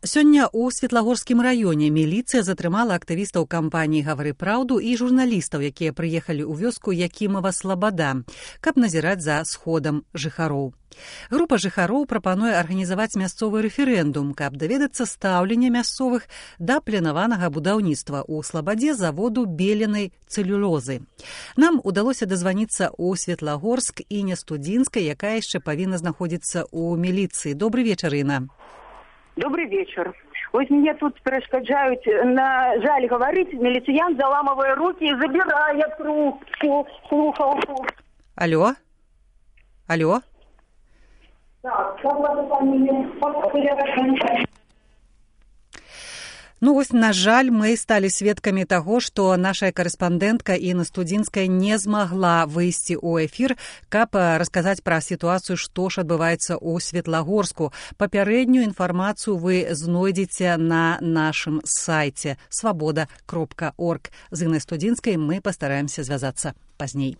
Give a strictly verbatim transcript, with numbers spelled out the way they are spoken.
Сёння ў Светлагорскім раёне міліцыя затрымала актывістаў кампаніі «Гавары праўду» і журналістаў, якія прыехалі ў вёску Якімава Слабада, каб назіраць за сходам жыхароў. Група жыхароў прапануе арганізаваць мясцовы рэферэндум, каб даведацца стаўлення мясцовых да планаванага будаўніцтва ў Слабадзе заводу беленай цэлюлозы. Нам удалося дазваніцца ў Светлагорск і Нястудзінскай, якая яшчэ павінна знаходзіцца ў міліцыі. Добрый вечар, Інна. Добрый вечер. Вот мне тут перешкоджают, на жаль говорить, милиционер, заламывая руки и забирая трубку, слухалку. Алло? Алло? Так, как ваша фамилия? Ну вось, на жаль, мы сталі сведкамі таго, што наша карэспандэнтка Інна Студзінская не змагла выйсці ў эфір, каб расказаць пра сітуацыю, што ж адбываецца ў Светлагорску. Папярэднюю інфармацыю вы знойдзеце на нашым сайце свабода кропка орг. З Іннай Студзінскай мы пастараемся звязацца пазней.